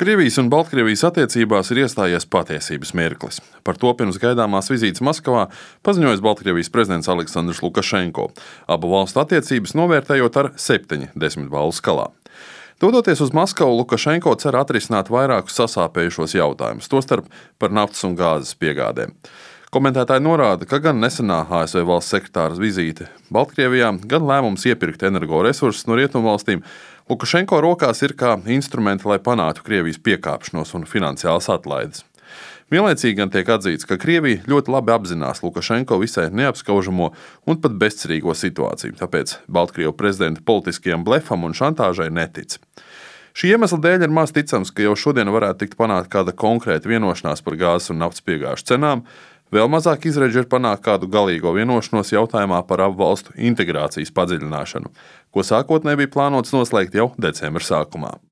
Krievijas un Baltkrievijas attiecībās ir iestājies patiesības mirklis. Par to pirms gaidāmās vizītes Maskavā paziņojis Baltkrievijas prezidents Aleksandrs Lukašenko, abu valstu attiecības novērtējot ar 7 desmitbalvu skalā. Dodoties uz Maskavu, Lukašenko cer atrisināt vairākus sasāpējušos jautājumus, tostarp par naftas un gāzes piegādēm. Komentētāji norāda, ka gan nesenā ASV valsts sekretāra vizīte Baltkrievijā, gan lēmums iepirkt energoresursus no rietumvalstīm Lukašenko rokās ir kā instrumenti, lai panāktu Krievijas piekāpšanos un finansiālas atlaides. Vienlaicīgi gan tiek atzīts, ka Krievija ļoti labi apzinās Lukašenko visai neapskaužamo un pat bezcerīgo situāciju, tāpēc Baltkrievu prezidenta politiskajam blefam un šantāžai netic. Šī iemesla dēļ ir maz ticams, ka jau šodien varētu tikt panākt kāda konkrēta vienošanās par gāzes un naftas piegāžu cenām. Vēl mazāk izredzi ir panākt kādu galīgo vienošanos jautājumā par abu valstu integrācijas padziļināšanu, ko sākotnēji bija plānots noslēgt jau decembra sākumā.